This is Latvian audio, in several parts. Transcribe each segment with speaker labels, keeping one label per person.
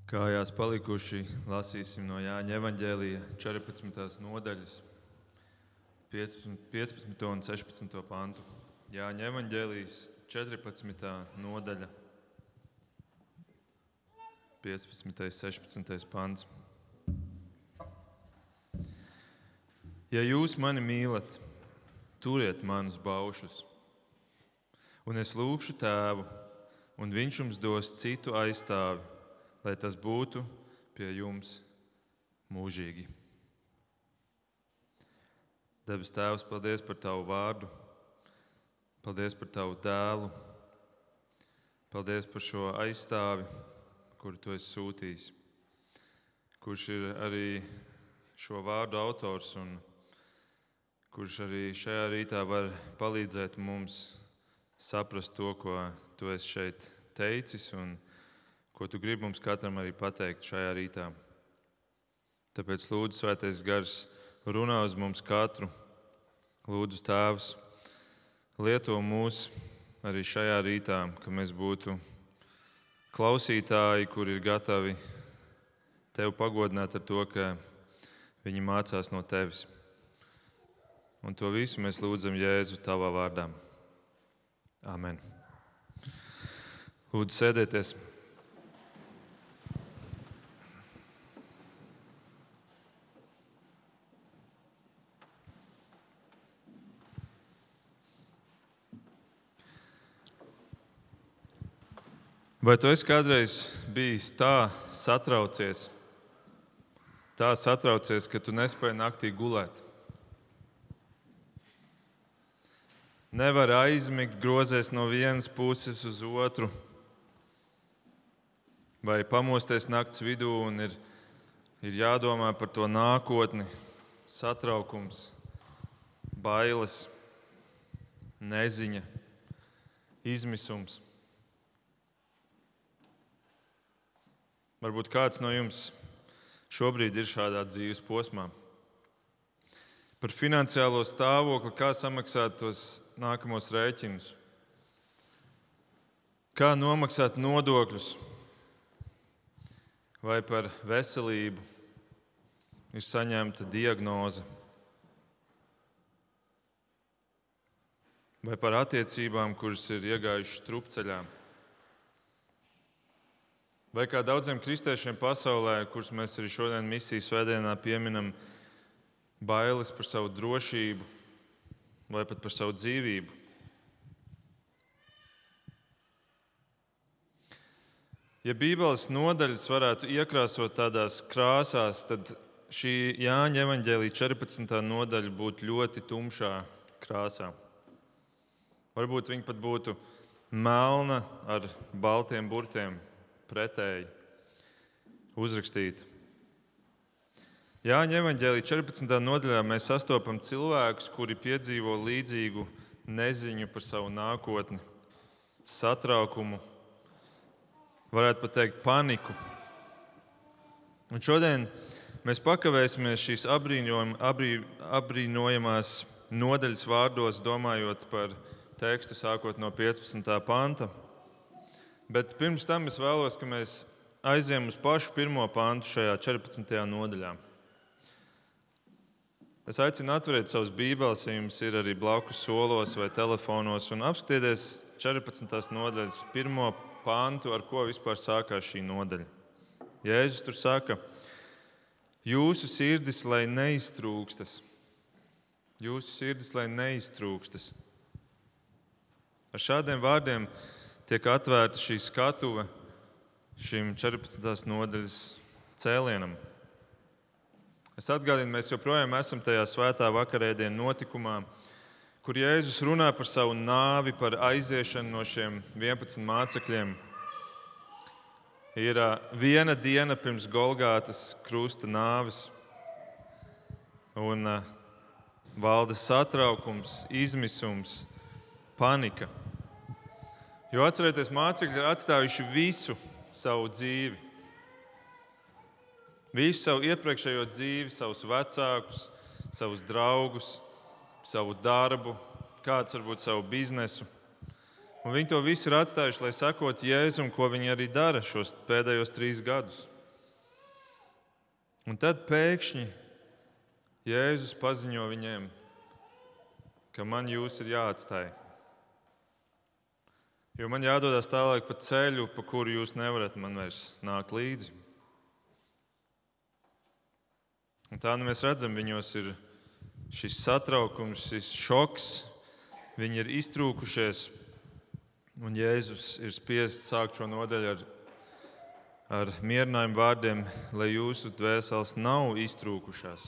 Speaker 1: Kājās palikuši lasīsim no Jāņa evaņģēlija 14. nodaļas, 15. un 16. pantu. Jāņa evaņģēlijs 14. nodaļa, 15. 16. pants. Ja jūs mani mīlat, turiet manus baušus, un es lūgšu Tēvu, un viņš jums dos citu aizstāvi, lai tas būtu pie jums mūžīgi. Debes Tēvs, paldies par Tavu vārdu, paldies par Tavu dēlu, paldies par šo aizstāvi, kuru Tu esi sūtījis, kurš ir arī šo vārdu autors un kurš arī šajā rītā var palīdzēt mums saprast to, ko Tu esi šeit teicis un ko Tu gribi mums katram arī pateikt šajā rītā. Tāpēc lūdzu, Svētais Gars, runā uz mums katru. Lūdzu, Tēvs, lieto mūs arī šajā rītā, ka mēs būtu klausītāji, kuri ir gatavi Tevi pagodināt ar to, ka viņi mācās no Tevis. Un to visu mēs lūdzam Jēzu Tavā vārdā. Amen. Lūdzu, sēdieties. Vai tu esi kādreiz bijis tā satraucies, ka tu nespēji naktī gulēt? Nevar aizmigt, grozies no vienas puses uz otru, vai pamosties nakts vidū un ir jādomā par to nākotni, satraukums, bailes, neziņa, izmisums. Varbūt kāds no jums šobrīd ir šādā dzīves posmā. Par finansiālo stāvokli, kā samaksāt tos nākamos rēķinus, kā nomaksāt nodokļus, vai par veselību ir saņemta diagnoze, vai par attiecībām, kuras ir iegājušas strupceļā. Vai kā daudziem kristiešiem pasaulē, kurus mēs arī šodien misijas svētdienā pieminam, bailes par savu drošību vai pat par savu dzīvību. Ja Bībeles nodaļas varētu iekrāsot tādās krāsās, tad šī Jāņa evaņģēlija 14. nodaļa būtu ļoti tumšā krāsā. Varbūt viņa pat būtu melna ar baltiem burtiem. Pretēji uzrakstīta. Jāņa evaņģēlija 14. nodaļā mēs sastopam cilvēkus, kuri piedzīvo līdzīgu neziņu par savu nākotni, satraukumu, varētu pat teikt paniku. Un šodien mēs pakavēsimies šīs apbrīnojamās nodaļas vārdos, domājot par tekstu sākot no 15. panta. Bet pirms tam es vēlos, ka mēs aiziem uz pašu pirmo pantu šajā 14. nodaļā. Es aicinu atvērt savus bībeles, ja jums ir arī blakus solos vai telefonos, un apskatieties 14. nodaļas pirmo pantu, ar ko vispār sākās šī nodaļa. Jēzus tur saka, jūsu sirdis, lai neiztrūkstas. Jūsu sirdis, lai neiztrūkstas. Ar šādiem vārdiem tiek atvērta šī skatuve šim 14. nodaļas cēlienam. Es atgādinu, mēs joprojām esam tajā svētā vakarēdienu notikumā, kur Jēzus runā par savu nāvi, par aiziešanu no šiem 11 mācekļiem. Ir viena diena pirms Golgātas krusta nāves, un valda satraukums, izmisums, panika. Jo atcerieties, mācekļi ir atstājuši visu savu dzīvi. Visu savu iepriekšējo dzīvi, savus vecākus, savus draugus, savu darbu, kāds varbūt savu biznesu. Un viņi to visu ir atstājuši, lai sekot Jēzum, ko viņi arī dara šos pēdējos 3 gadus. Un tad pēkšņi Jēzus paziņo viņiem, ka man jūs ir jāatstāj. Jo man jādodas tālāk pa ceļu, pa kuru jūs nevarat man vairs nākt līdzi. Un tā mēs redzam, viņos ir šis satraukums, šis šoks, viņi ir iztrūkušies, un Jēzus ir spiests sākt šo nodaļu ar mierinājumu vārdiem, lai jūsu dvēseles nav iztrūkušās.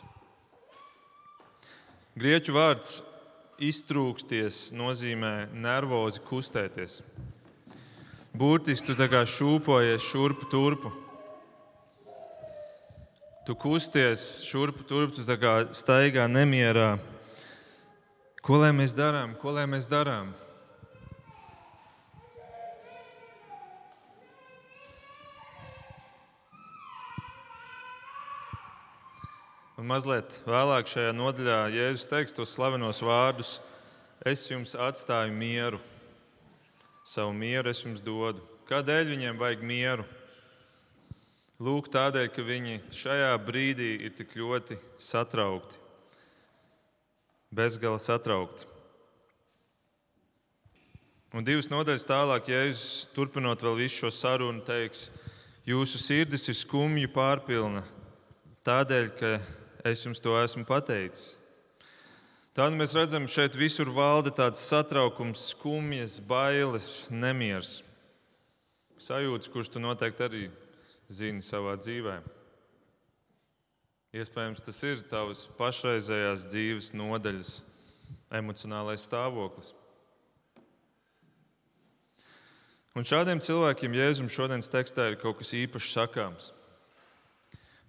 Speaker 1: Grieķu vārds iztrūksties nozīmē nervozi kustēties. Burtiski tu tā kā šūpojies šurpu turpu. Tu kusties šurpu turpu, tu tā kā staigā nemierā. Ko lai mēs darām? Ko lai mēs darām? Un mazliet vēlāk šajā nodaļā Jēzus teiks tos slavenos vārdus: es jums atstāju mieru, savu mieru es jums dodu. Kādēļ viņiem vajag mieru? Lūk, tādēļ, ka viņi šajā brīdī ir tik ļoti satraukti, bezgala satraukti. Un 2 nodaļas tālāk Jēzus, turpinot vēl visu šo sarunu, teiks: jūsu sirdis ir skumju pārpilna, tādēļ, ka es jums to esmu pateicis. Tad mēs redzam, šeit visur valda tāds satraukums, skumjas, bailes, nemiers. Sajūtas, kuras tu noteikti arī zini savā dzīvē. Iespējams, tas ir tavas pašreizējās dzīves nodaļas emocionālais stāvoklis. Un šādiem cilvēkiem Jēzum šodienas tekstā ir kaut kas īpašs sakāms.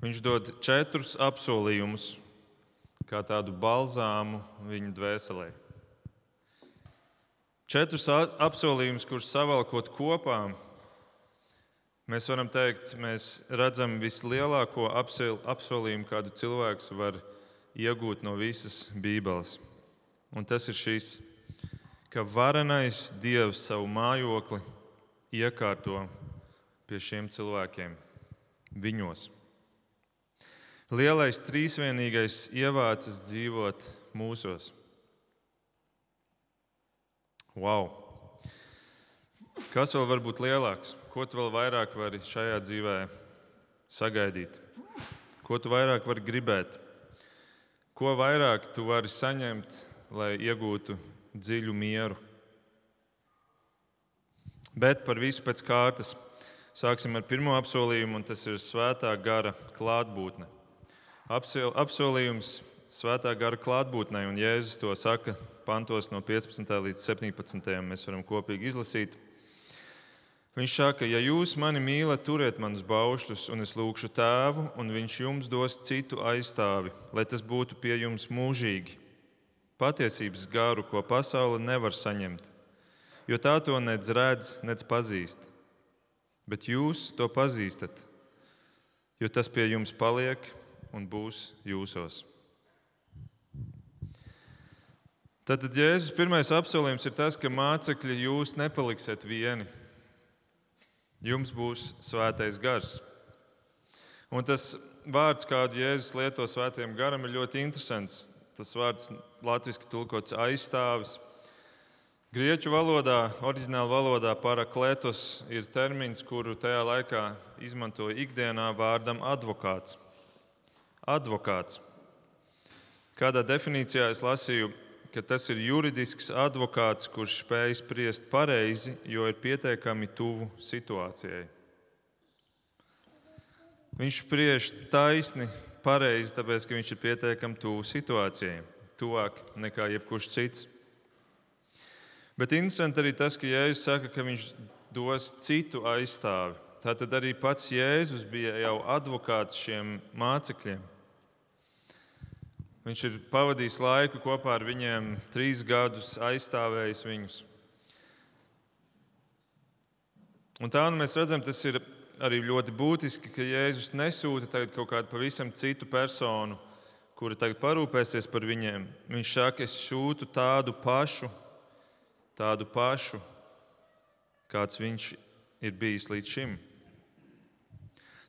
Speaker 1: Viņš dod 4 apsolījumus, kā tādu balzāmu viņu dvēselē. 4 apsolījumus, kurus savalkot kopā, mēs varam teikt, mēs redzam vislielāko apsolījumu, kādu cilvēks var iegūt no visas Bībeles. Un tas ir šis, ka varenais Dievs savu mājokli iekārto pie šiem cilvēkiem, viņos. Lielais trīsvienīgais ievācis dzīvot mūsos. Wow! Kas vēl var būt lielāks? Ko tu vēl vairāk vari šajā dzīvē sagaidīt? Ko tu vairāk vari gribēt? Ko vairāk tu vari saņemt, lai iegūtu dziļu mieru? Bet par visu pēc kārtas. Sāksim ar pirmo apsolījumu, un tas ir svētā gara klātbūtne. Apsolījums svētā gara klātbūtnei, un Jēzus to saka pantos no 15. līdz 17. Mēs varam kopīgi izlasīt. Viņš saka: ja jūs mani mīlat, turiet manus baušļus, un es lūgšu Tēvu, un viņš jums dos citu aizstāvi, lai tas būtu pie jums mūžīgi. Patiesības garu, ko pasaule nevar saņemt, jo tā to nec redz, nec pazīst. Bet jūs to pazīstat, jo tas pie jums paliek un būs jūsos. Tātad Jēzus pirmais apsolījums ir tas, ka mācekļi, jūs nepaliksiet vieni. Jums būs svētais gars. Un tas vārds, kādu Jēzus lieto svētajam garam, ir ļoti interesants. Tas vārds latviski tulkots aizstāvis. Grieķu valodā, oriģināla valodā parakletos ir termins, kuru tajā laikā izmantoja ikdienā vārdam advokāts. Advokāts. Kādā definīcijā es lasīju, ka tas ir juridisks advokāts, kurš spēj spriest pareizi, jo ir pietiekami tuvu situācijai. Viņš spriež taisni, pareizi, tāpēc, ka viņš ir pietiekami tuvu situācijai, tuvāk nekā jebkurš cits. Bet interesanti arī tas, ka Jēzus saka, ka viņš dos citu aizstāvi. Tātad arī pats Jēzus bija jau advokāts šiem mācekļiem. Viņš ir pavadījis laiku kopā ar viņiem, 3 gadus aizstāvējis viņus. Un tā mēs redzam, tas ir arī ļoti būtiski, ka Jēzus nesūta tagad kaut kādu pavisam citu personu, kura tagad parūpēsies par viņiem. Viņš saka, es sūtu tādu pašu, kāds viņš ir bijis līdz šim.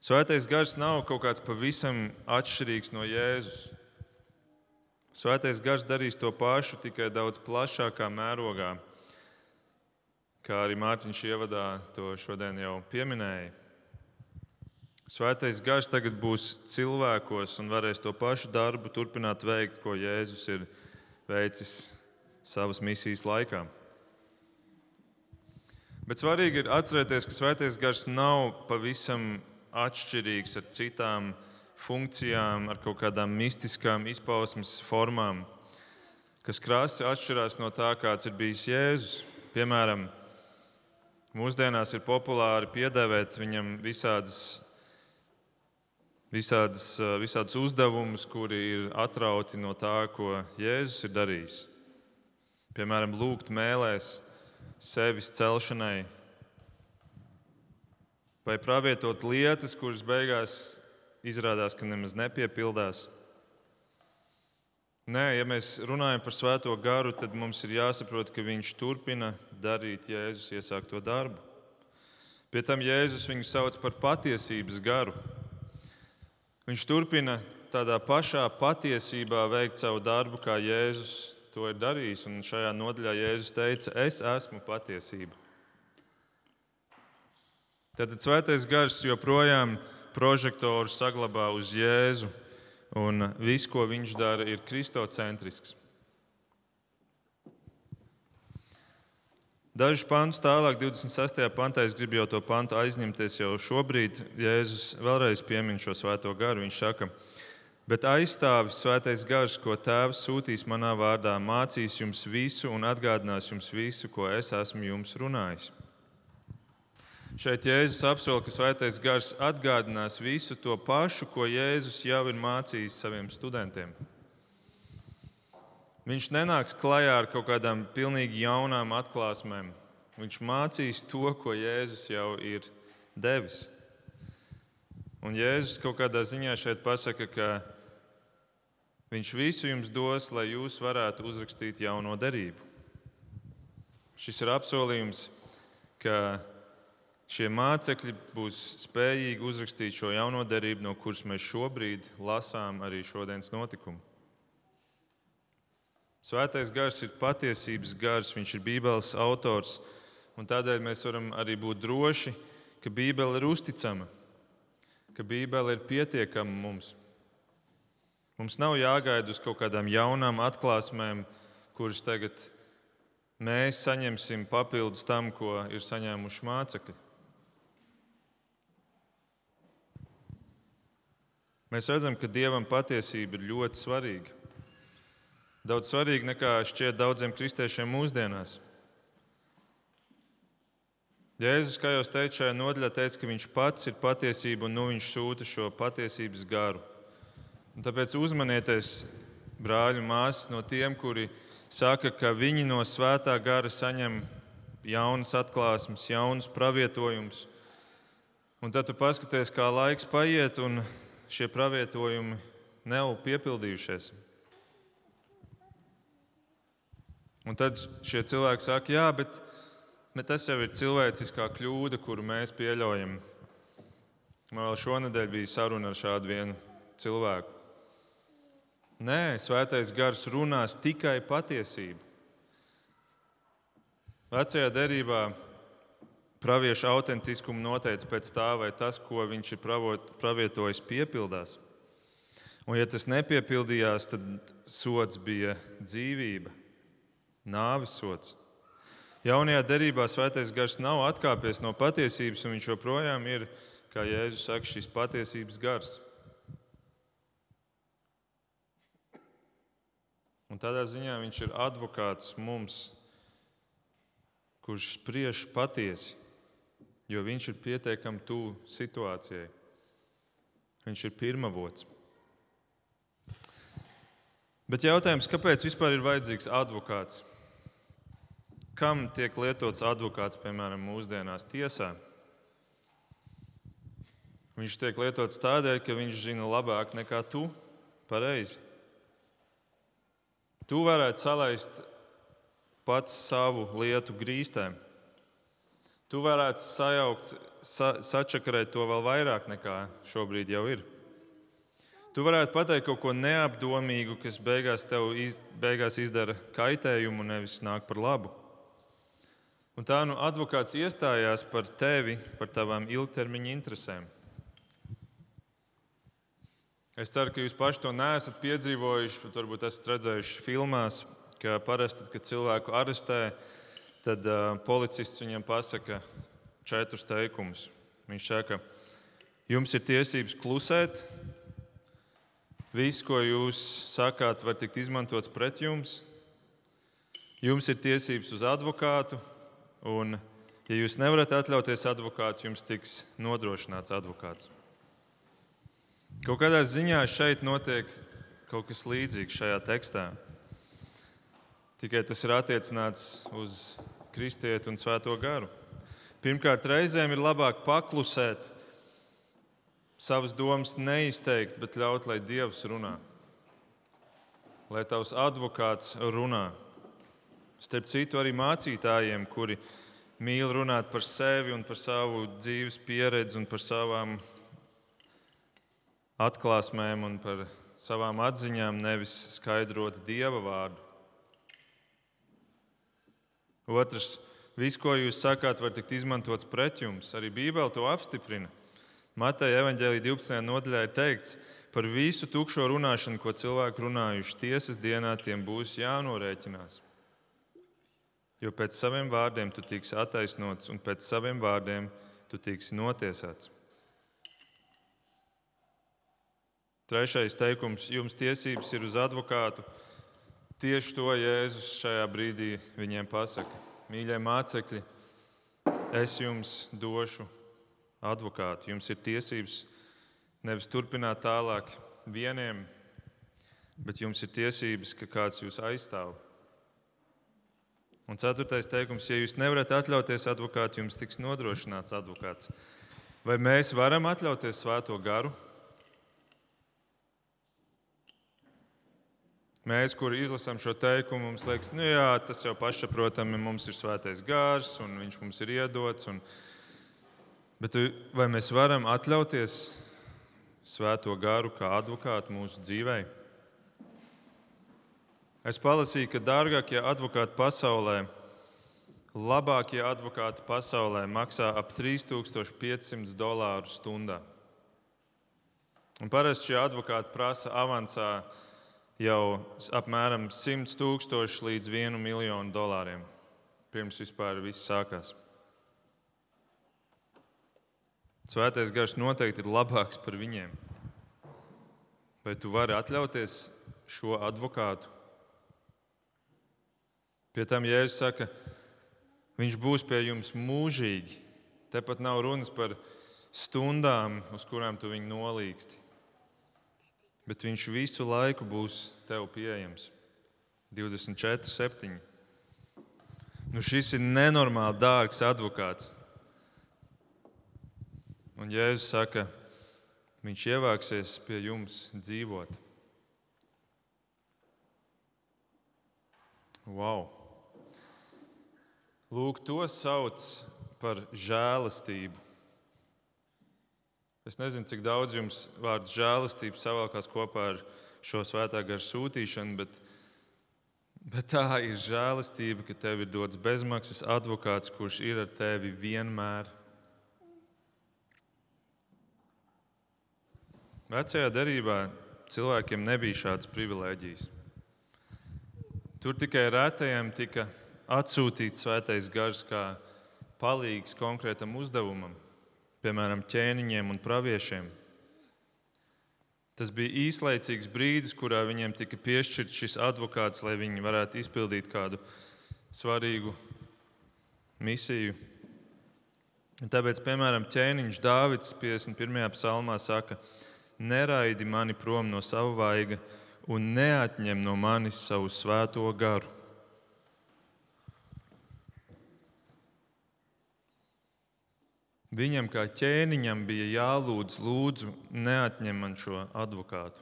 Speaker 1: Svētais gars nav kaut kāds pavisam atšķirīgs no Jēzus. Svētais gars darīs to pašu, tikai daudz plašākā mērogā, kā arī Mārtiņš ievadā to šodien jau pieminēja. Svētais gars tagad būs cilvēkos un varēs to pašu darbu turpināt veikt, ko Jēzus ir veicis savas misijas laikā. Bet svarīgi ir atcerēties, ka svētais gars nav pavisam atšķirīgs ar citām funkcijām, ar kaut kādām mistiskām izpausmes formām, kas krasi atšķirās no tā, kāds ir bijis Jēzus. Piemēram, mūsdienās ir populāri piedēvēt viņam visādus uzdevumus, kuri ir atrauti no tā, ko Jēzus ir darījis. Piemēram, lūgt mēlēs sevis celšanai, vai pravietot lietas, kuras beigās izrādās, ka nemaz nepiepildās. Nē, ja mēs runājam par svēto garu, tad mums ir jāsaprot, ka viņš turpina darīt Jēzus iesākto darbu. Pie tam Jēzus viņu sauc par patiesības garu. Viņš turpina tādā pašā patiesībā veikt savu darbu, kā Jēzus to ir darījis. Un šajā nodaļā Jēzus teica, es esmu patiesība. Tātad svētais gars joprojām prožektoru saglabā uz Jēzu, un viss, ko viņš dara, ir kristocentrisks. Dažus pantus tālāk, 26. pantā, es gribu jau to pantu aizņemties jau šobrīd. Jēzus vēlreiz piemin šo svēto garu. Viņš saka, bet aizstāvis svētais gars, ko Tēvs sūtīs manā vārdā, mācīs jums visu un atgādinās jums visu, ko es esmu jums runājis. Šeit Jēzus apsola, ka svētais gars atgādinās visu to pašu, ko Jēzus jau ir mācījis saviem studentiem. Viņš nenāks klajā ar kaut kādām pilnīgi jaunām atklāsmēm. Viņš mācīs to, ko Jēzus jau ir devis. Un Jēzus kaut kādā ziņā šeit pasaka, ka viņš visu jums dos, lai jūs varētu uzrakstīt jauno derību. Šis ir apsolījums, ka šie mācekļi būs spējīgi uzrakstīt šo jauno derību, no kuras mēs šobrīd lasām arī šodienas notikumu. Svētais gars ir patiesības gars, viņš ir Bībeles autors, un tādēļ mēs varam arī būt droši, ka Bībele ir uzticama, ka Bībele ir pietiekama mums. Mums nav jāgaida uz kaut kādām jaunām atklāsmēm, kuras tagad mēs saņemsim papildus tam, ko ir saņēmuši mācekļi. Mēs redzam, ka Dievam patiesība ir ļoti svarīga. Daudz svarīga nekā šķiet daudziem kristiešiem mūsdienās. Jēzus, kā jau teicu, šajā nodaļā teica, ka viņš pats ir patiesība un viņš sūta šo patiesības garu. Un tāpēc uzmanieties, brāļi un māsas, no tiem, kuri saka, ka viņi no svētā gara saņem jaunas atklāsmes, jaunus pravietojumus. Un tad tu paskaties, kā laiks paiet un šie pravietojumi nav piepildījušies. Un tad šie cilvēki saka, jā, bet tas jau ir cilvēciskā kļūda, kuru mēs pieļaujam. Man vēl šonadēļ bija saruna ar šādu vienu cilvēku. Nē, svētais gars runās tikai patiesību. Vecajā derībā pravieša autentiskumu noteica pēc tā, vai tas, ko viņš ir pravietojis, piepildās. Un ja tas nepiepildījās, tad sods bija dzīvība. Nāves sods. Jaunajā derībā svētais gars nav atkāpies no patiesības, un viņš joprojām ir, kā Jēzus saka, šis patiesības gars. Un tādā ziņā viņš ir advokāts mums, kurš spriež patiesi, jo viņš ir pietiekami tuvu situācijai. Viņš ir pirmavots. Bet jautājums, kāpēc vispār ir vajadzīgs advokāts? Kam tiek lietots advokāts, piemēram, mūsdienās tiesā? Viņš tiek lietots tādēļ, ka viņš zina labāk nekā tu, pareizi. Tu varētu salaist pats savu lietu grīstēm. tu varētu sačakarēt to vēl vairāk nekā šobrīd jau ir. Tu varētu pateikt kaut ko neapdomīgu, kas beigās izdara kaitējumu, nevis nāk par labu. Un tā advokāts iestājās par tevi, par tavām ilgtermiņa interesēm. Es ceru, ka jūs paši to neesat piedzīvojuši, bet varbūt esat redzējuši filmās, ka parasti, kad cilvēku arestē, tad policists viņam pasaka 4 teikumus. Viņš saka, jums ir tiesības klusēt, viss, ko jūs sakāt, var tikt izmantots pret jums. Jums ir tiesības uz advokātu, un, ja jūs nevarat atļauties advokātu, jums tiks nodrošināts advokāts. Kaut kādā ziņā šeit notiek kaut kas līdzīgs šajā tekstā. Tikai tas ir attiecināts uz kristieti un svēto garu. Pirmkārt, reizēm ir labāk paklusēt, savas domas neizteikt, bet ļaut, lai Dievs runā. Lai tavs advokāts runā. Starp citu, arī mācītājiem, kuri mīl runāt par sevi un par savu dzīves pieredzi un par savām atklāsmēm un par savām atziņām, nevis skaidrot Dieva vārdu. Otrs, viss, ko jūs sakāt, var tikt izmantots pret jums. Arī Bībele to apstiprina. Mateja evaņģēlija 12. nodaļā ir teikts, par visu tukšo runāšanu, ko cilvēki runājuši, tiesas dienā tiem būs jānorēķinās. Jo pēc saviem vārdiem tu tiksi attaisnots un pēc saviem vārdiem tu tiksi notiesāts. Trešais teikums, jums tiesības ir uz advokātu. Tieši to Jēzus šajā brīdī viņiem pasaka. Mīļie mācekļi, es jums došu advokātu. Jums ir tiesības nevis turpināt tālāk vieniem, bet jums ir tiesības, ka kāds jūs aizstāv. Un 4. teikums, ja jūs nevarat atļauties advokātu, jums tiks nodrošināts advokāts. Vai mēs varam atļauties svēto garu? Mēs, kuri izlasām šo teikumu, mums liekas, tas jau pašsaprotami, mums ir svētais gars un viņš mums ir iedots. Bet vai mēs varam atļauties svēto garu kā advokātu mūsu dzīvē? Es palasīju, ka dārgākie advokāti pasaulē, labākie advokāti pasaulē maksā ap $3500 stundā. Un parasti šie advokāti prasa avansā jau apmēram $100,000 līdz $1 miljonu, pirms vispār viss sākās. Svētais gars noteikti ir labāks par viņiem. Vai tu vari atļauties šo advokātu? Pie tam Jēzus saka, viņš būs pie jums mūžīgi. Tepat nav runas par stundām, uz kurām tu viņu nolīgsti. Bet viņš visu laiku būs tev pieejams. 24/7. Šis ir nenormāli dārgs advokāts. Un Jēzus saka, viņš ievāksies pie jums dzīvot. Wow! Lūk, to sauc par žēlastību. Es nezinu, cik daudz jums vārds žēlastība savalkās kopā ar šo svētā gara sūtīšanu, bet tā ir žēlastība, ka tev ir dots bezmaksas advokāts, kurš ir ar tevi vienmēr. Vecajā derībā cilvēkiem nebija šādas privilēģijas. Tur tikai retajiem tika atsūtīts svētais gars kā palīgs konkrētam uzdevumam. Piemēram, ķēniņiem un praviešiem. Tas bija īslaicīgs brīdis, kurā viņiem tika piešķirts šis advokāts, lai viņi varētu izpildīt kādu svarīgu misiju. Un tāpēc, piemēram, ķēniņš Dāvids 51. psalmā saka, neraidi mani prom no sava vaiga un neatņem no manis savu svēto garu. Viņam kā ķēniņam bija jālūdz, lūdzu, neatņem man šo advokātu.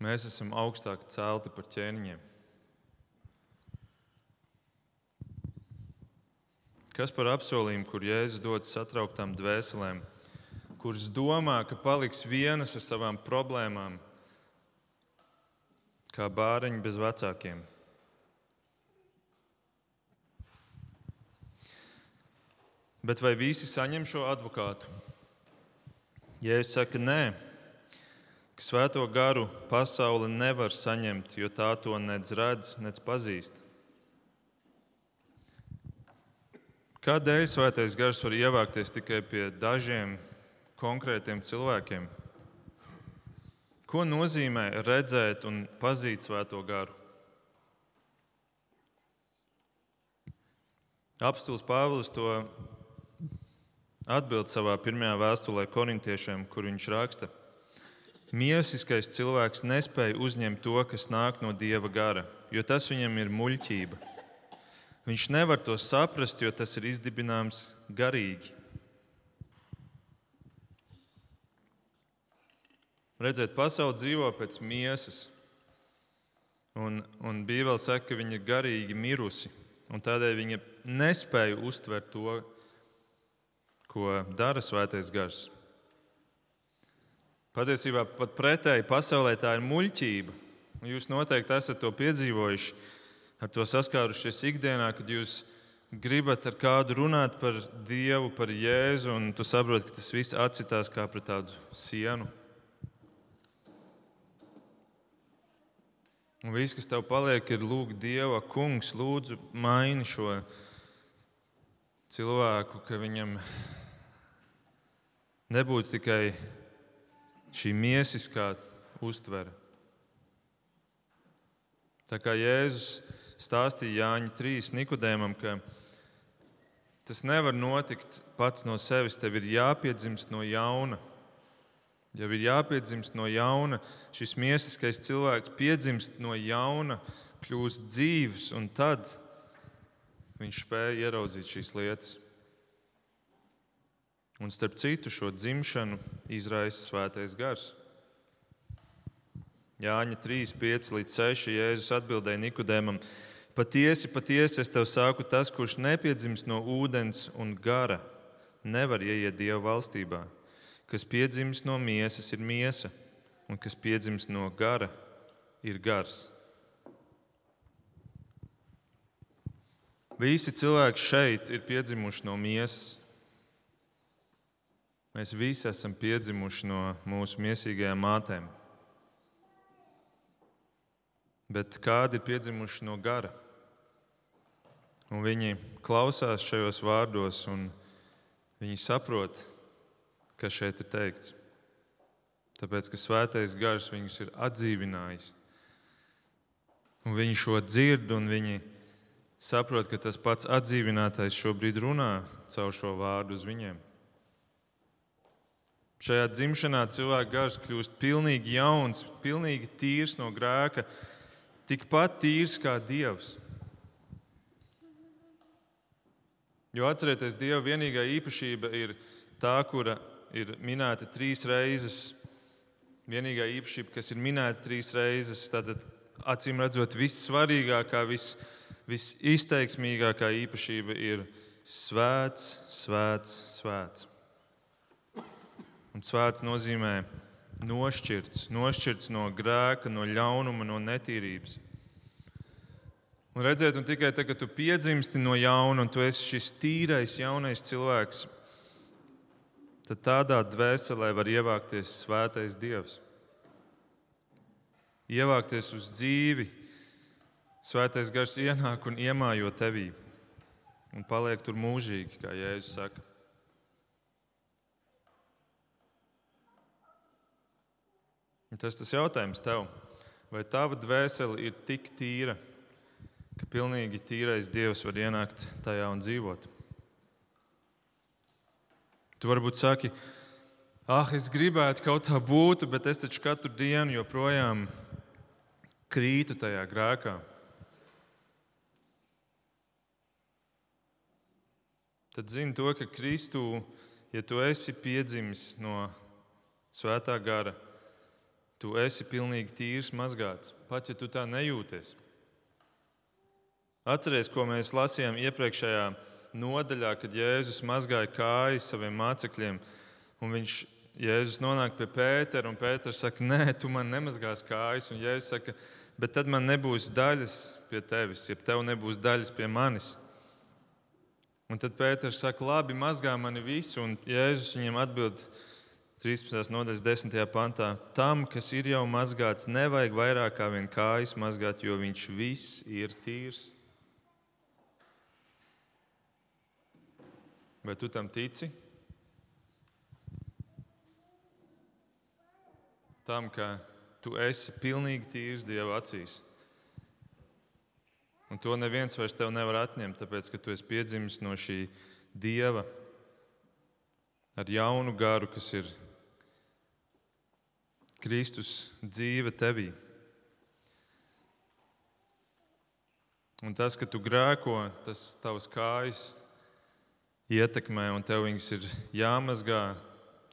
Speaker 1: Mēs esam augstāk celti par ķēniņiem. Kas par apsolījumu, kur Jēzus dod satrauktām dvēselēm, kuras domā, ka paliks vienas ar savām problēmām, kā bāreņi bez vecākiem? Bet vai visi saņem šo advokātu? Jēzus saka, nē, ka Svēto garu pasaule nevar saņemt, jo tā to nec redz, nec pazīst. Kādēļ Svētais gars var ievākties tikai pie dažiem konkrētiem cilvēkiem? Ko nozīmē redzēt un pazīt Svēto garu? Apostols Pāvils to atbild savā pirmajā vēstulē korintiešiem, kur viņš raksta: Miesiskais cilvēks nespēja uzņemt to, kas nāk no Dieva gara, jo tas viņam ir muļķība. Viņš nevar to saprast, jo tas ir izdibināms garīgi. Redziet, pasaule dzīvo pēc miesas, un Bībele saka, ka viņa ir garīgi mirusi, un tādēļ viņa nespēja uztvert to, ko dara Svētais gars. Patiesībā pat pretēji pasaulē tā ir muļķība. Jūs noteikti esat to piedzīvojuši, ar to saskārušies ikdienā, kad jūs gribat ar kādu runāt par Dievu, par Jēzu, un tu saproti, ka tas viss atsitās kā pret tādu sienu. Un viss, kas tev paliek, ir lūgt Dievu: Kungs, lūdzu, maini šo cilvēku, ka viņam nebūtu tikai šī miesiskā uztvere. Tā kā Jēzus stāstīja Jāņa 3 Nikodēmam, ka tas nevar notikt pats no sevis, tev ir jāpiedzimst no jauna. Ja ir jāpiedzimst no jauna, šis miesiskais cilvēks piedzimst no jauna, kļūst dzīvs, un tad viņš spēja ieraudzīt šīs lietas. Un starp citu šo dzimšanu izraisa Svētais gars. Jāņa 3, 5 līdz 6 Jēzus atbildēja Nikodēmam: Patiesi, patiesi, es tev saku, tas, kurš nepiedzimst no ūdens un gara, nevar ieiet Dieva valstībā. Kas piedzimst no miesas, ir miesa, un kas piedzimst no gara, ir gars. Visi cilvēki šeit ir piedzimuši no miesas. Mēs visi esam piedzimuši no mūsu miesīgajām mātēm. Bet kādi ir piedzimuši no gara? Un viņi klausās šajos vārdos, un viņi saprot, kas šeit ir teikts. Tāpēc, ka Svētais gars viņus ir atdzīvinājis. Un viņi šo dzird, un viņi saprot, ka tas pats atdzīvinātais šobrīd runā caur šo vārdu uz viņiem. Šajā dzimšanā cilvēka gars kļūst pilnīgi jauns, pilnīgi tīrs no grēka, tikpat tīrs kā Dievs. Jo atcerieties, Dieva vienīgā īpašība ir tā, kura ir minēta 3 reizes. Vienīgā īpašība, kas ir minēta 3 reizes, tad acīm redzot vissvarīgākā, visizteiksmīgākā īpašība ir svēts, svēts, svēts. Un svēts nozīmē nošķirts no grēka, no ļaunuma, no netīrības. Un redziet, un tikai tagad, kad tu piedzimsti no jauna un tu esi šis tīrais jaunais cilvēks, tad tādā dvēselē var ievākties svētais Dievs. Ievākties uz dzīvi, Svētais gars ienāk un iemājo tevī un paliek tur mūžīgi, kā Jēzus saka. Tas jautājums tev, vai tava dvēsele ir tik tīra, ka pilnīgi tīrais Dievs var ienākt tajā un dzīvot? Tu varbūt saki, es gribētu kaut tā būtu, bet es taču katru dienu joprojām krītu tajā grēkā. Tad zini to, ka Kristū, ja tu esi piedzimis no Svētā gara, tu esi pilnīgi tīrs, mazgāts, pat ja tu tā nejūties. Atceries, ko mēs lasījām iepriekšējā nodaļā, kad Jēzus mazgāja kājas saviem mācekļiem, un Jēzus nonāk pie Pētera, un Pēters saka, nē, tu man nemazgās kājas, un Jēzus saka, bet tad man nebūs daļas pie tevis, ja tev nebūs daļas pie manis. Un tad Pēters saka, labi, mazgā mani visu, un Jēzus viņiem atbild 13. nodaļas 10. pantā, tam, kas ir jau mazgāts, nevajag vairāk kā vien kājas mazgāt, jo viņš viss ir tīrs. Vai tu tam tici? Tam, ka tu esi pilnīgi tīrs Dieva acīs. Un to neviens vairs tev nevar atņemt, tāpēc, ka tu esi piedzimis no šī Dieva ar jaunu garu, kas ir Kristus dzīve tevī. Un tas, ka tu grēko, tas tavas kājas ietekmē, un tev viņas ir jāmazgā,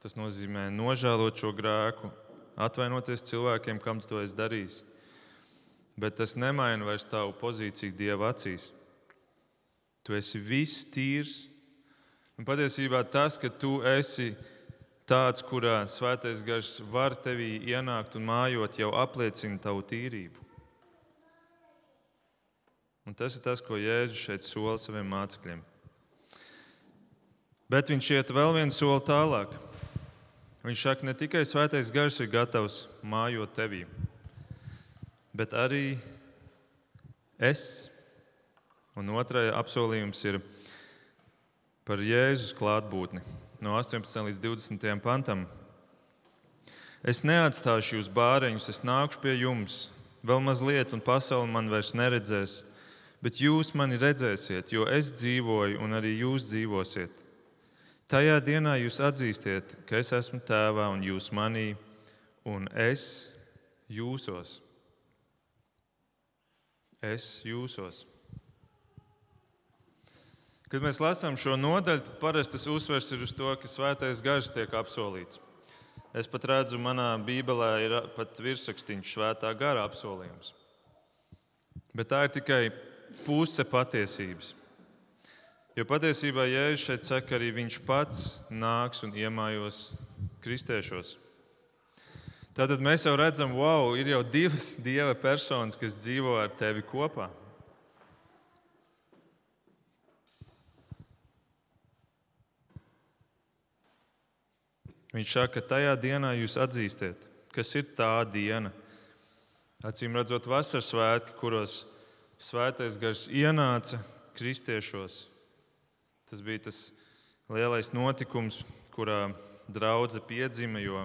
Speaker 1: tas nozīmē nožēlot šo grēku, atvainoties cilvēkiem, kam tu to esi darījis. Bet tas nemaina vairs tavu pozīciju Dieva acīs. Tu esi viss tīrs. Un patiesībā tas, ka tu esi tāds, kurā Svētais Gars var tevī ienākt un mājot, jau apliecina tavu tīrību. Un tas ir tas, ko Jēzus šeit sola saviem mācekļiem. Bet viņš iet vēl vienu soli tālāk. Viņš saka, ne tikai Svētais Gars ir gatavs mājot tevī, bet arī es. Un otrais apsolījums ir par Jēzus klātbūtni. No 18. līdz 20. pantam. Es neatstāšu jūs bāreņus, es nākšu pie jums. Vēl mazliet, un pasaule man vairs neredzēs, bet jūs mani redzēsiet, jo es dzīvoju, un arī jūs dzīvosiet. Tajā dienā jūs atzīstiet, ka es esmu Tēvā, un jūs manī, un es jūsos. Es jūsos. Kad mēs lasām šo nodaļu, tad parasti tas uzsvers ir uz to, ka Svētais Gars tiek apsolīts. Es pat redzu, manā Bībelē ir pat virsrakstīns Svētā Gara apsolījums. Bet tā ir tikai puse patiesības. Jo patiesībā Jēzus šeit saka, arī viņš pats nāks un iemājos kristiešos. Tātad mēs jau redzam, wow, ir jau divas Dieva personas, kas dzīvo ar tevi kopā. Viņš saka, ka tajā dienā jūs atzīstiet, kas ir tā diena. Acīm redzot vasaras svētki, kuros Svētais Gars ienāca kristiešos. Tas bija tas lielais notikums, kurā draudze piedzima, jo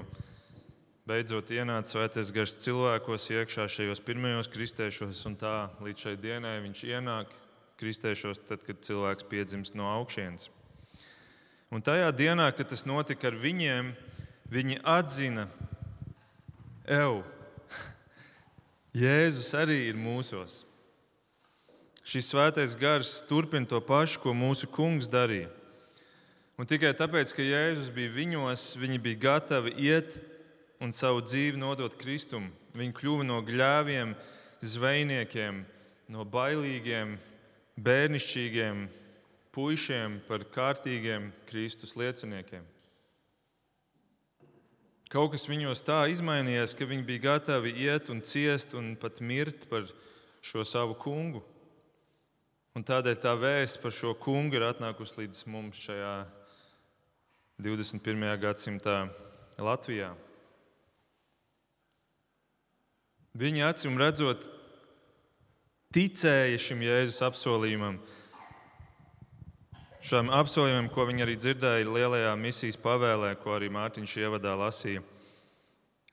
Speaker 1: beidzot ienāca Svētais Gars cilvēkos iekšā šajos pirmajos kristiešos, un tā līdz šai dienai viņš ienāk kristiešos, tad, kad cilvēks piedzimst no augšienes. Un tajā dienā, kad tas notika ar viņiem, viņi atzina, Jēzus arī ir mūsos. Šis Svētais Gars turpina to pašu, ko mūsu Kungs darīja. Un tikai tāpēc, ka Jēzus bija viņos, viņi bija gatavi iet un savu dzīvi nodot Kristum. Viņi kļuva no gļēviem, zvejniekiem, no bailīgiem, bērnišķīgiem puišiem par kārtīgiem Kristus lieciniekiem. Kaut kas viņos tā izmainījās, ka viņi bija gatavi iet un ciest un pat mirt par šo savu kungu. Un tādēļ tā vēsts par šo kungu ir atnākusi līdz mums šajā 21. gadsimtā Latvijā. Viņi acīm redzot ticēja šim Jēzus apsolījumam. Šām apsolījumam, ko viņi arī dzirdēja lielajā misijas pavēlē, ko arī Mārtiņš ievadā lasīja,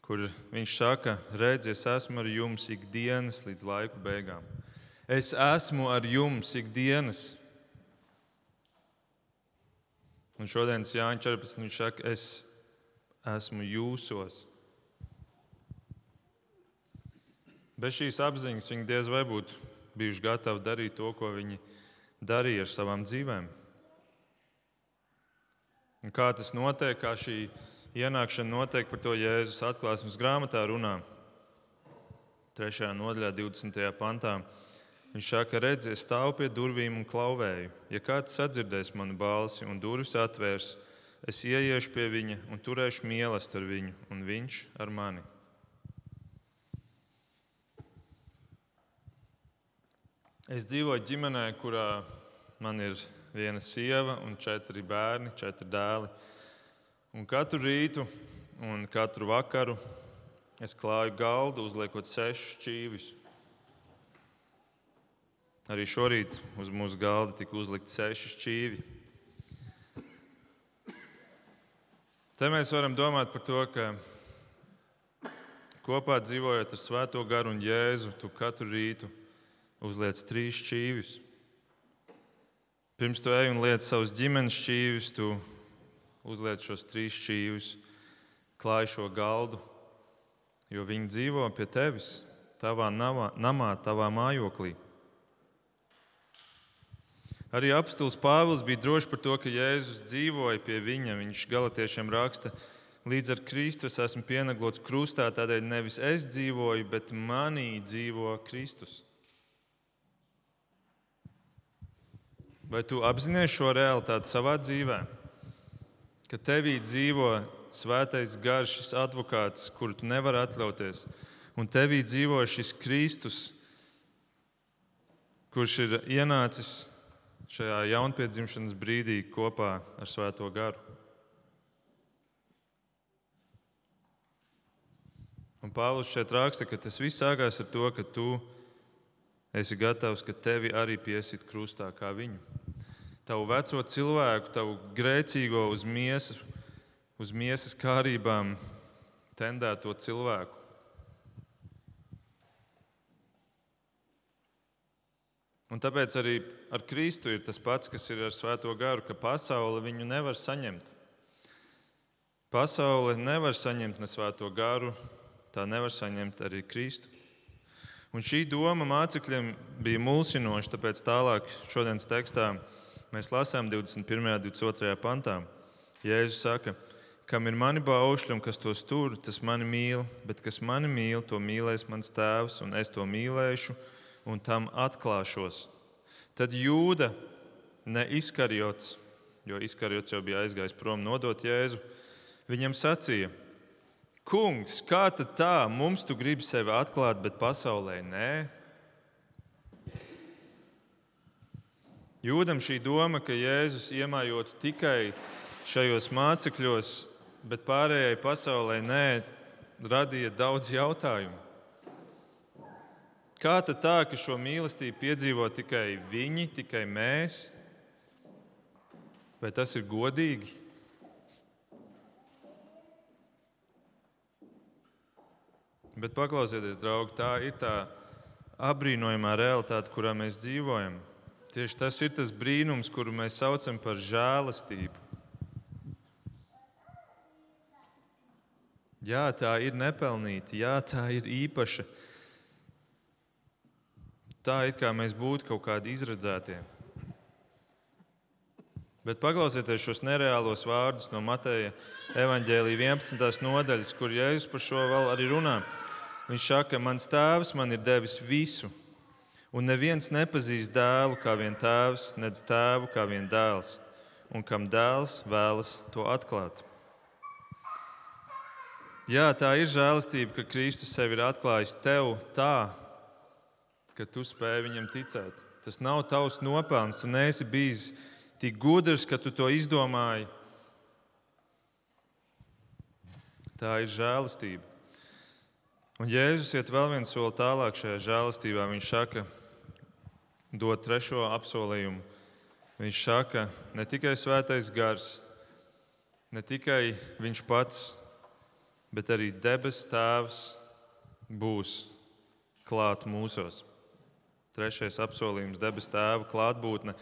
Speaker 1: kur viņš saka, redz, es esmu ar jums ikdienas līdz laiku beigām. Es esmu ar jums ikdienas. Un šodienas Jāņa 14. viņš saka, es esmu jūsos. Bez šīs apziņas viņi diez vai būtu bijuši gatavi darīt to, ko viņi darīja ar savām dzīvēm. Un kā tas notiek, kā šī ienākšana notiek, par to Jēzus Atklāsmes grāmatā runā. 3. nodaļā, 20. pantā. Viņš saka, redzi, es stāvu pie durvīm un klauvēju. Ja kāds sadzirdēs manu balsi un durvis atvērs, es ieiešu pie viņa un turēšu mīlestību ar viņu, un viņš ar mani. Es dzīvoju ģimenē, kurā man ir viena sieva un 4 bērni, 4 dēli. Un katru rītu un katru vakaru es klāju galdu, uzliekot 6 šķīvis. Arī šorīt uz mūsu galda tika uzlikti 6 šķīvi. Te mēs varam domāt par to, ka kopā dzīvojot ar Svēto garu un Jēzu, tu katru rītu uzliec 3 šķīvis. Pirms tu ej un liec savus ģimenes šķīvis, tu uzliec šos 3 šķīvis, klāj šo galdu, jo viņi dzīvo pie tevis, tavā namā, tavā mājoklī. Arī apostols Pāvils bija drošs par to, ka Jēzus dzīvoja pie viņa. Viņš Galatiešiem raksta, līdz ar Kristu es esmu pienaglots krustā, tādēļ nevis es dzīvoju, bet manī dzīvo Kristus. Vai tu apzinies šo realitāti savā dzīvē? Ka tevī dzīvo svētais gars, šis advokāts, kuru tu nevari atļauties, un tevī dzīvo šis Kristus, kurš ir ienācis šajā jaunpiedzimšanas brīdī kopā ar Svēto garu. Un Pāvils šeit raksta, ka tas viss sākās ar to, ka tu esi gatavs, ka tevi arī piesit krustā kā viņu. Tavu veco cilvēku, tavu grēcīgo uz miesas kārībām tendēto cilvēku. Un tāpēc arī ar Kristu ir tas pats, kas ir ar Svēto garu, ka pasaule viņu nevar saņemt. Pasaule nevar saņemt ne Svēto garu, tā nevar saņemt arī Kristu. Un šī doma mācekļiem bija mulsinoša, tāpēc tālāk šodienas tekstā mēs lasām 21. un 22. pantā. Jēzus saka, kam ir mani baušļi un kas tos tur, tas mani mīl, bet kas mani mīl, to mīlēs mans tēvs, un es to mīlēšu un tam atklāšos. Tad Jūda, ne Iskariots, jo Iskariots jau bija aizgājis prom nodot Jēzu, viņam sacīja, kungs, kā tad tā, mums tu gribi sevi atklāt, bet pasaulē nē? Jūdam šī doma, ka Jēzus iemājotu tikai šajos mācekļos, bet pārējai pasaulē nē, radīja daudz jautājumu. Kā tad tā, ka šo mīlestību piedzīvo tikai viņi, tikai mēs? Vai tas ir godīgi? Bet paklausieties, draugi, tā ir tā apbrīnojamā realitāte, kurā mēs dzīvojam. Tieši tas ir tas brīnums, kuru mēs saucam par žēlastību. Jā, tā ir nepelnīta, jā, tā ir īpaša. Tā it kā mēs būtu kaut kādi izredzētie. Bet paklausieties šos nereālos vārdus no Mateja evaņģēlija 11. nodaļas, kur Jēzus par šo vēl arī runā. Viņš saka, mans tēvs man ir devis visu, un neviens nepazīst dēlu kā vien tēvs, nedz tēvu kā vien dēls, un kam dēls vēlas to atklāt. Jā, tā ir žēlastība, ka Kristus sevi ir atklājis tev tā, ka tu spēj viņam ticēt. Tas nav tavs nopelns, tu neesi bijis tik gudrs, ka tu to izdomāji. Tā ir žēlastība. Un Jēzus iet vēl viens soli tālāk šajā žēlastībā. Viņš saka, dod 3. apsolījumu. Viņš saka, ne tikai svētais gars, ne tikai viņš pats, bet arī debes tēvs būs klāt mūsos. 3. apsolījums, debes tēva klātbūtne.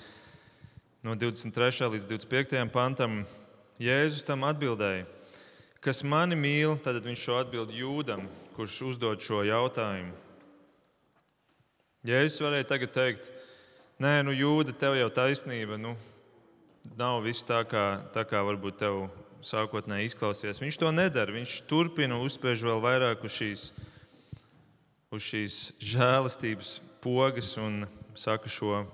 Speaker 1: No 23. līdz 25. pantam Jēzus tam atbildēja, kas mani mīl, tad viņš šo atbild Jūdam, kurš uzdod šo jautājumu. Jēzus varēja tagad teikt, nē, Jūda, tev jau taisnība, nav viss tā kā varbūt tev sākotnēji izklausies. Viņš to nedara, viņš turpina uzspiež vēl vairāk uz šīs žēlastības pogas un saka šo: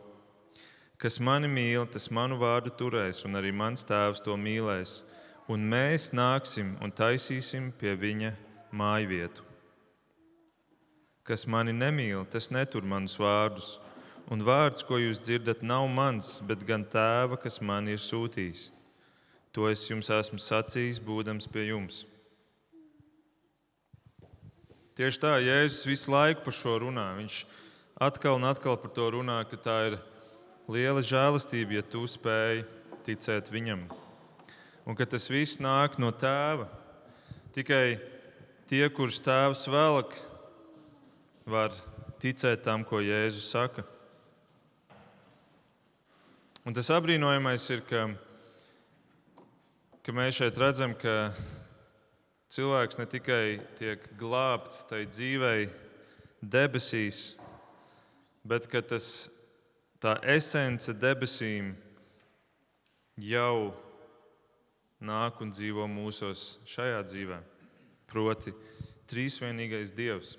Speaker 1: kas mani mīl, tas manu vārdu turēs, un arī mans tēvs to mīlēs, un mēs nāksim un taisīsim pie viņa mājvietu. Kas mani nemīl, tas netur manus vārdus, un vārds, ko jūs dzirdat, nav mans, bet gan tēva, kas mani ir sūtījis. To es jums esmu sacījis, būdams pie jums. Tieši tā, Jēzus visu laiku par šo runā. Viņš atkal un atkal par to runā, ka tā ir liela žēlastība, ja tu spēj ticēt viņam. Un ka tas viss nāk no tēva. Tikai tie, kurus tēvs velk, var ticēt tam, ko Jēzus saka. Un tas apbrīnojamais ir, ka mēs šeit redzam, ka cilvēks ne tikai tiek glābts tai dzīvei debesīs, bet ka tā esence debesīm jau nāk un dzīvo mūsos šajā dzīvē, proti trīsvienīgais Dievs.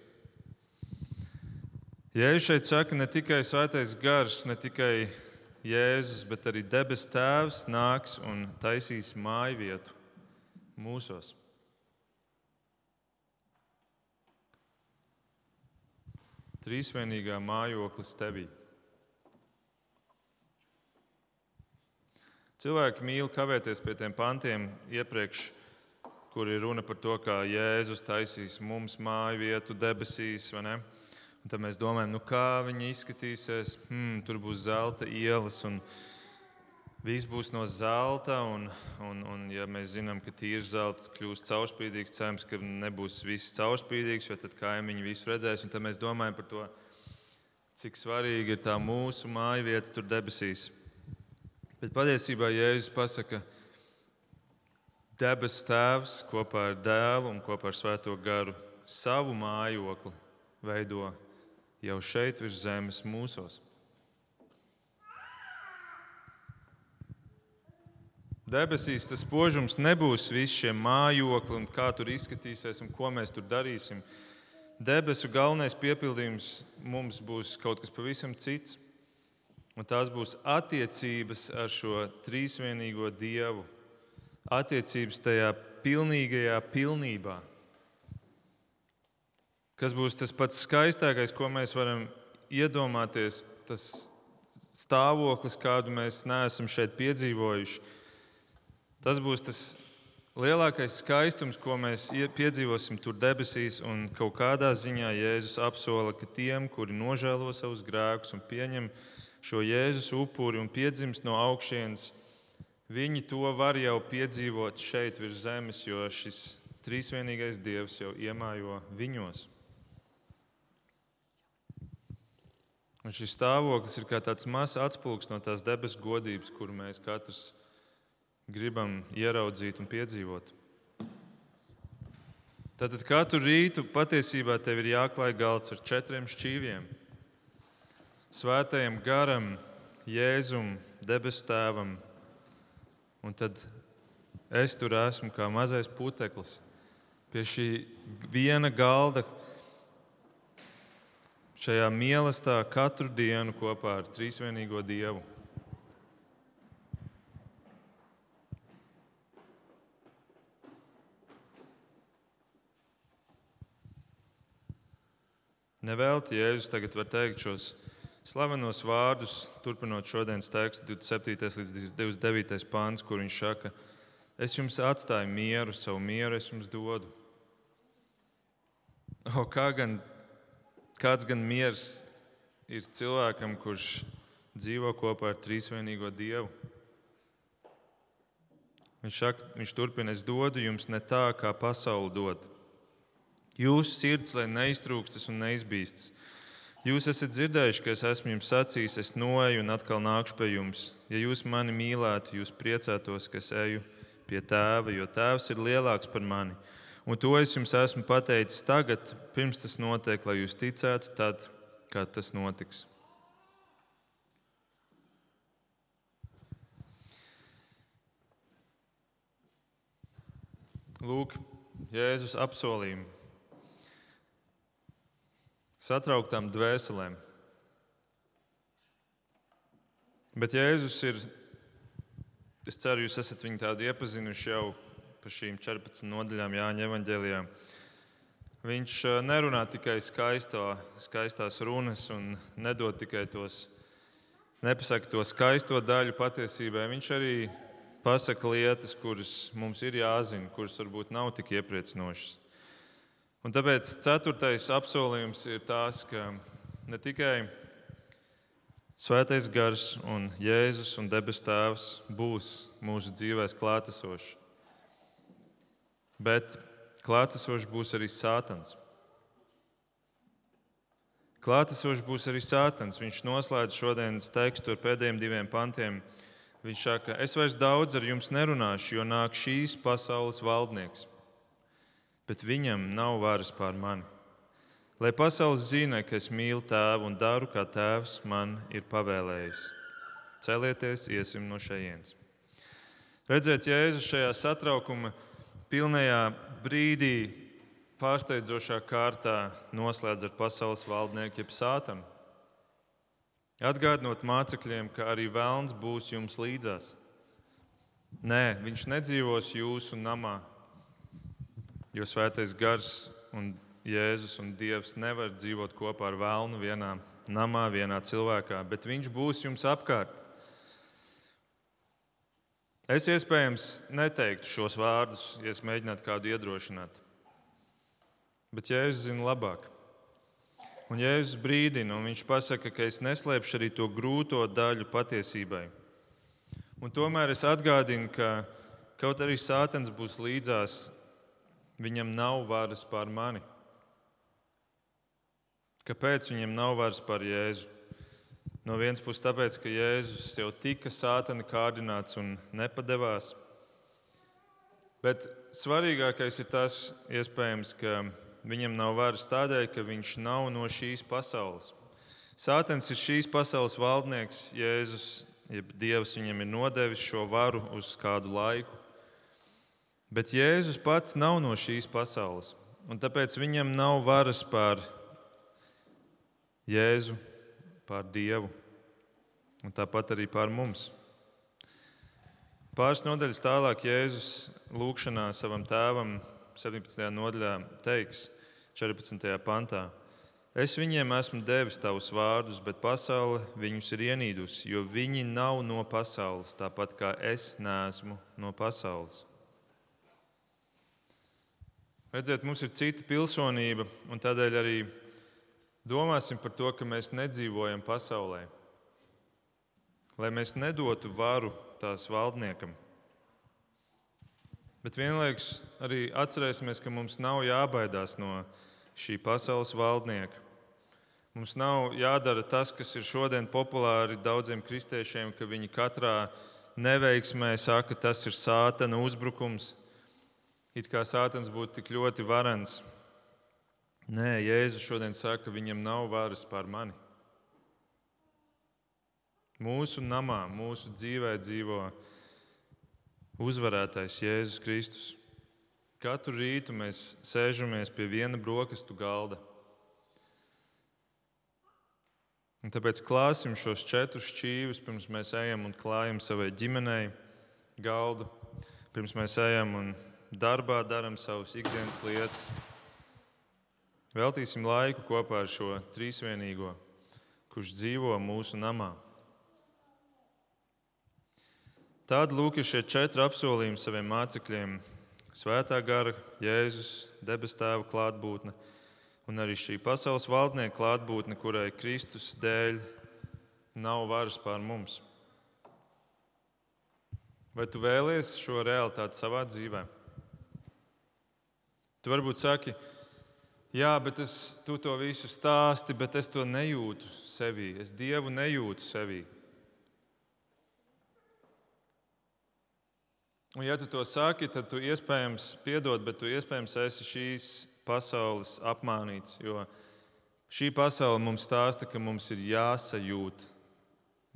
Speaker 1: Jēzus šeit saka, ne tikai Svētais Gars, ne tikai Jēzus, bet arī debes Tēvs nāks un taisīs mājvietu mūsos. Trīsvienīgā mājoklis tevī. Cilvēki mīl kavēties pie tiem pantiem iepriekš, kur ir runa par to, kā Jēzus taisīs mums māju vietu debesīs, vai ne? Un tad mēs domājam, kā viņi izskatīsies, tur būs zelta ielas un viss būs no zelta, un ja mēs zinām, ka tīrs zelts kļūst caurspīdīgs, cerams, ka nebūs viss caurspīdīgs, jo tad kaimiņi visu redzēs, un tad mēs domājam par to, cik svarīgi ir tā mūsu māju vieta tur debesīs. Bet patiesībā Jēzus pasaka, debesu Tēvs kopā ar Dēlu un kopā ar Svēto Garu savu mājokli veido jau šeit virs zemes mūsos. Debesīs tas spožums nebūs visi šie mājokli un kā tur izskatīsies un ko mēs tur darīsim. Debesu galvenais piepildījums mums būs kaut kas pavisam cits. Un tās būs attiecības ar šo trīsvienīgo Dievu. Attiecības tajā pilnīgajā pilnībā. Kas būs tas pats skaistākais, ko mēs varam iedomāties, tas stāvoklis, kādu mēs neesam šeit piedzīvojuši. Tas būs tas lielākais skaistums, ko mēs piedzīvosim tur debesīs, un kaut kādā ziņā Jēzus apsola, ka tiem, kuri nožēlo savus grēkus un pieņem šo Jēzus upuri un piedzimst no augšienes, viņi to var jau piedzīvot šeit virs zemes, jo šis trīsvienīgais Dievs jau iemājo viņos. Un šis stāvoklis ir kā tāds mazs atspulgs no tās debesu godības, kuru mēs katrs gribam ieraudzīt un piedzīvot. Tātad katru rītu patiesībā tev ir jāklāj galds ar 4 šķīviem. Svētajam Garam, Jēzum, debesu Tēvam. Un tad es tur esmu kā mazais puteklis pie šī viena galda, šajā mīlestā katru dienu kopā ar trīsvienīgo Dievu. Nevelti Jēzus tagad var teikt šos slavenos vārdus, turpinot šodienas tekstu 27. līdz 29. pāns, kur viņš saka, es jums atstāju mieru, savu mieru es jums dodu. Kāds gan miers ir cilvēkam, kurš dzīvo kopā ar trīsvienīgo Dievu? Viņš turpina, es dodu jums ne tā, kā pasaule dod. Jūsu sirds, lai neiztrūkstas un neizbīstas. Jūs esat dzirdējuši, ka es esmu jums sacījis, es noeju un atkal nākšu pie jums. Ja jūs mani mīlētu, jūs priecātos, ka es eju pie Tēva, jo Tēvs ir lielāks par mani. Un to es jums esmu pateicis tagad, pirms tas notiek, lai jūs ticētu tad, kad tas notiks. Lūk, Jēzus apsolījumi. Satrauktām dvēselēm. Bet Jēzus ir, es ceru, jūs esat viņu tādu iepazinuši jau pa šīm 14 nodaļām Jāņa evaņģēlijā. Viņš nerunā tikai skaistās runas un nedod tikai nepasaka to skaisto daļu patiesībai. Viņš arī pasaka lietas, kuras mums ir jāzina, kuras varbūt nav tik iepriecinošas. Un tāpēc 4. apsolījums ir tās, ka ne tikai Svētais Gars un Jēzus un Debesu Tēvs būs mūsu dzīvēs klātesoši, bet klātesošs būs arī Sātans. Klātesošs būs arī Sātans. Viņš noslēdz šodienas tekstu ar pēdējiem 2 pantiem. Viņš saka, es vairs daudz ar jums nerunāšu, jo nāk šīs pasaules valdnieks, bet viņam nav varas pār mani. Lai pasaules zina, ka es mīlu Tēvu un daru, kā Tēvs man ir pavēlējis. Celieties, iesim no šejienes. Redzēt Jēzu šajā satraukuma pilnajā brīdī pārsteidzošā kārtā noslēdz ar pasaules valdnieku jeb Sātanu. Atgādinot mācekļiem, ka arī velns būs jums līdzās. Nē, viņš nedzīvos jūsu namā, jo Svētais Gars un Jēzus un Dievs nevar dzīvot kopā ar velnu vienā namā, vienā cilvēkā, bet viņš būs jums apkārt. Es iespējams neteiktu šos vārdus, ja es mēģinātu kādu iedrošināt. Bet Jēzus zina labāk. Un Jēzus brīdina, un viņš pasaka, ka es neslēpšu arī to grūto daļu patiesībai. Un tomēr es atgādinu, ka kaut arī Sātans būs līdzās, viņam nav varas pār mani. Kāpēc viņam nav varas pār Jēzu? No vienas puses tāpēc, ka Jēzus jau tika Sātana kārdināts un nepadevās. Bet svarīgākais ir tas, iespējams, ka viņam nav varas tādēļ, ka viņš nav no šīs pasaules. Sātans ir šīs pasaules valdnieks, Jēzus, jeb Dievs viņam ir nodevis šo varu uz kādu laiku. Bet Jēzus pats nav no šīs pasaules, un tāpēc viņam nav varas pār Jēzu, pār Dievu, un tāpat arī pār mums. Pāris nodaļas tālāk Jēzus lūgšanā savam tēvam 17. nodaļā teiks 14. pantā. Es viņiem esmu devis tavus vārdus, bet pasaule viņus ir ienīdusi, jo viņi nav no pasaules, tāpat kā es neesmu no pasaules. Redziet, mums ir cita pilsonība, un tādēļ arī domāsim par to, ka mēs nedzīvojam pasaulē, lai mēs nedotu varu tās valdniekam. Bet vienlaikus arī atcerēsimies, ka mums nav jābaidās no šī pasaules valdnieka. Mums nav jādara tas, kas ir šodien populāri daudziem kristiešiem, ka viņi katrā neveiksmē saka, ka tas ir Sātana uzbrukums. It kā Sātans būtu tik ļoti varens. Nē, Jēzus šodien saka, ka viņam nav varas pār mani. Mūsu namā, mūsu dzīvē dzīvo uzvarētais Jēzus Kristus. Katru rītu mēs sēžamies pie viena brokastu galda. Un tāpēc klāsim šos 4 šķīvus, pirms mēs ejam un klājam savai ģimenei galdu, pirms mēs ejam un darbā darām savas ikdienas lietas. Veltīsim laiku kopā ar šo trīsvienīgo, kurš dzīvo mūsu namā. Tādi lūk ir šie 4 apsolījumi saviem mācekļiem. Svētā gara, Jēzus, Debesu Tēva klātbūtne un arī šī pasaules valdnieka klātbūtne, kurai Kristus dēļ nav varas pār mums. Vai tu vēlies šo realitāti savā dzīvē? Tu varbūt saki, jā, bet tu to visu stāsti, bet es to nejūtu sevī. Es Dievu nejūtu sevī. Un ja tu to saki, tad tu iespējams piedod, bet tu iespējams esi šīs pasaules apmānīts. Jo šī pasaule mums stāsta, ka mums ir jāsajūt.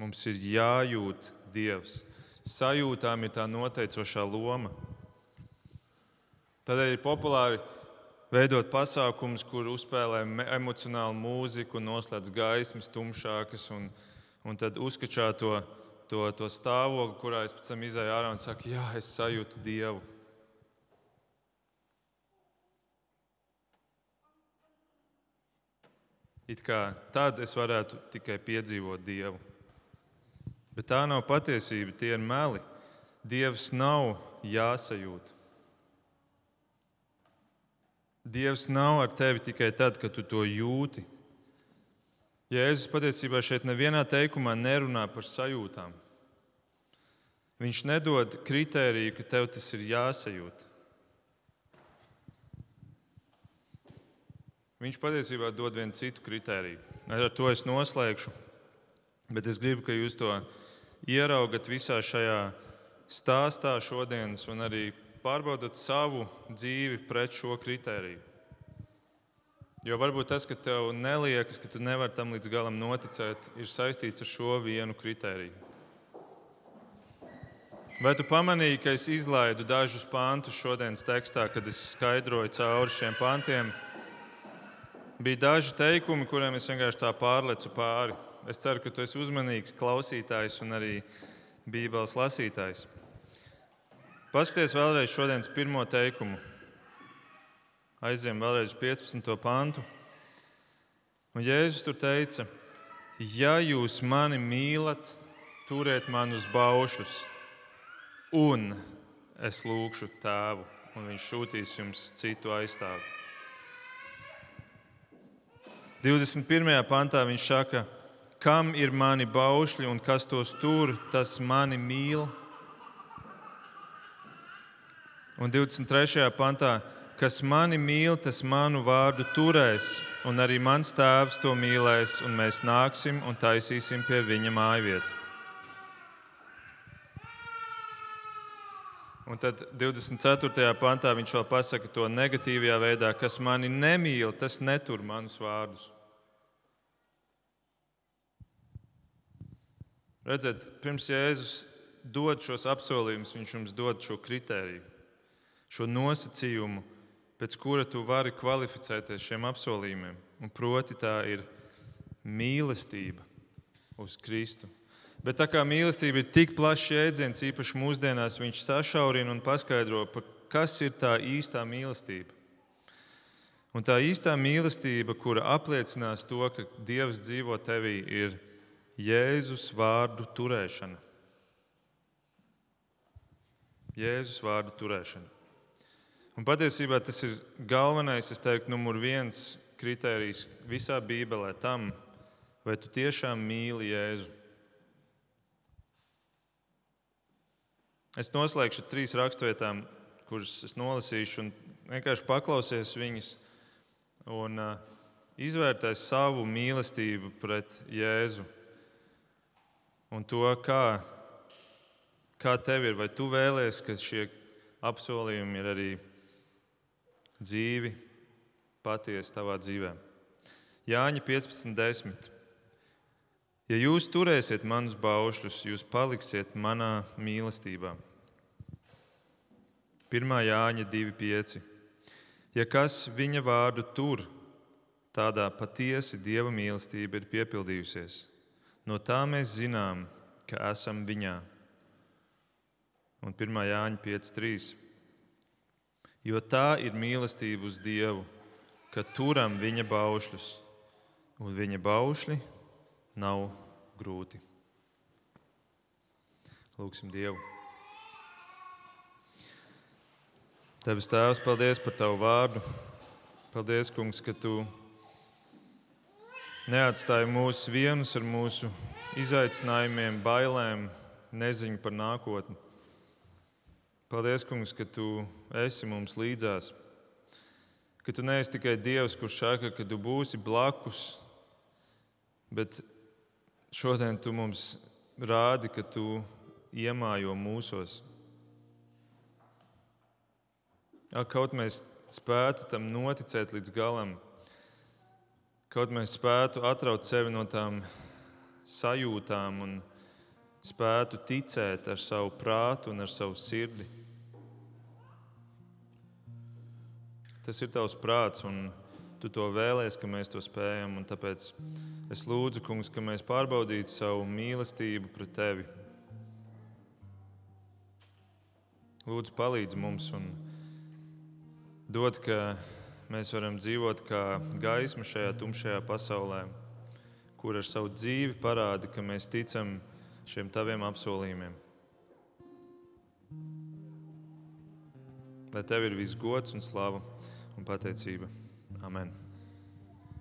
Speaker 1: Mums ir jājūt Dievs. Sajūtām ir tā noteicošā loma. Tādēļ ir populāri veidot pasākumus, kur uzspēlē emocionālu mūziku, noslēdz gaismas tumšākas un tad uzkačā to to stāvokli, kurā es pēc tam izēju ārā un saku, jā, es sajūtu Dievu. It kā tad es varētu tikai piedzīvot Dievu. Bet tā nav patiesība, tie ir meli. Dievs nav jāsajūt. Dievs nav ar tevi tikai tad, kad tu to jūti. Jēzus patiesībā šeit nevienā teikumā nerunā par sajūtām. Viņš nedod kritēriju, ka tev tas ir jāsajūt. Viņš patiesībā dod vienu citu kritēriju. Ar to es noslēgšu, bet es gribu, ka jūs to ieraugat visā šajā stāstā šodienas un arī pārbaudot savu dzīvi pret šo kritēriju. Jo varbūt tas, ka tev neliekas, ka tu nevari tam līdz galam noticēt, ir saistīts ar šo vienu kritēriju. Vai tu pamanīji, ka es izlaidu dažus pantus šodienas tekstā, kad es skaidroju cauri šiem pantiem? Bija daži teikumi, kuriem es vienkārši tā pārlecu pāri. Es ceru, ka tu esi uzmanīgs klausītājs un arī Bībeles lasītājs. Paskaties vēlreiz šodienas pirmo teikumu. Aiziem vēlreiz 15. pantu. Un Jēzus tur teica, ja jūs mani mīlat, turiet man uz baušļus, un es lūgšu Tēvu, un viņš sūtīs jums citu aizstāvi. 21. pantā viņš saka, kam ir mani baušļi un kas tos tur, tas mani mīl. Un 23. pantā, kas mani mīl, tas manu vārdu turēs, un arī mans Tēvs to mīlēs, un mēs nāksim un taisīsim pie viņa mājvietu. Un tad 24. pantā viņš vēl pasaka to negatīvajā veidā, kas mani nemīl, tas netur manus vārdus. Redziet, pirms Jēzus dod šos apsolījumus, viņš jums dod šo kritēriju, šo nosacījumu, pēc kura tu vari kvalificēties šiem apsolījumiem. Un proti tā ir mīlestība uz Kristu. Bet tā kā mīlestība ir tik plašs jēdziens, īpaši mūsdienās, viņš sašaurina un paskaidro, kas ir tā īstā mīlestība. Un tā īstā mīlestība, kura apliecinās to, ka Dievs dzīvo tevī, ir Jēzus vārdu turēšana. Jēzus vārdu turēšana. Un patiesībā tas ir galvenais, es teiktu, numur 1 kritērijs visā Bībelē tam, vai tu tiešām mīli Jēzu. Es noslēgšu 3 rakstvietām, kuras es nolasīšu, un vienkārši paklausies viņas un izvērtēs savu mīlestību pret Jēzu. Un to, kā tev ir, vai tu vēlies, ka šie apsolījumi ir arī dzīvi, patiesi tavā dzīvē. Jāņa 15:10. Ja jūs turēsiet manus baušļus, jūs paliksiet manā mīlestībā. 1. Jāņa 2:5. Ja kas viņa vārdu tur, tādā patiesi Dieva mīlestība ir piepildījusies. No tā mēs zinām, ka esam viņā. Un 1. Jāņa 5:3. Jo tā ir mīlestība uz Dievu, ka turam viņa baušļus, un viņa baušļi nav grūti. Lūgsim Dievu. Debes Tēvs, paldies par Tavu vārdu. Paldies, Kungs, ka Tu neatstāji mūs vienus ar mūsu izaicinājumiem, bailēm, neziņu par nākotni. Paldies, Kungs, ka Tu esi mums līdzās. Ka Tu neesi tikai Dievs, kurš saka, ka Tu būsi blakus, bet šodien Tu mums rādi, ka Tu iemājo mūsos. Kaut mēs spētu tam noticēt līdz galam, kaut mēs spētu atraut sevi no tām sajūtām un spētu ticēt ar savu prātu un ar savu sirdi. Tas ir Tavs prāts, un Tu to vēlies, ka mēs to spējam. Un tāpēc es lūdzu, Kungs, ka mēs pārbaudītu savu mīlestību pret Tevi, Lūdzu, palīdz mums un dod, ka mēs varam dzīvot kā gaisma šajā tumšajā pasaulē, kur ar savu dzīvi parāda, ka mēs ticam šiem taviem apsolījumiem. Lai tev ir viss gods un slava un pateicība. Amen.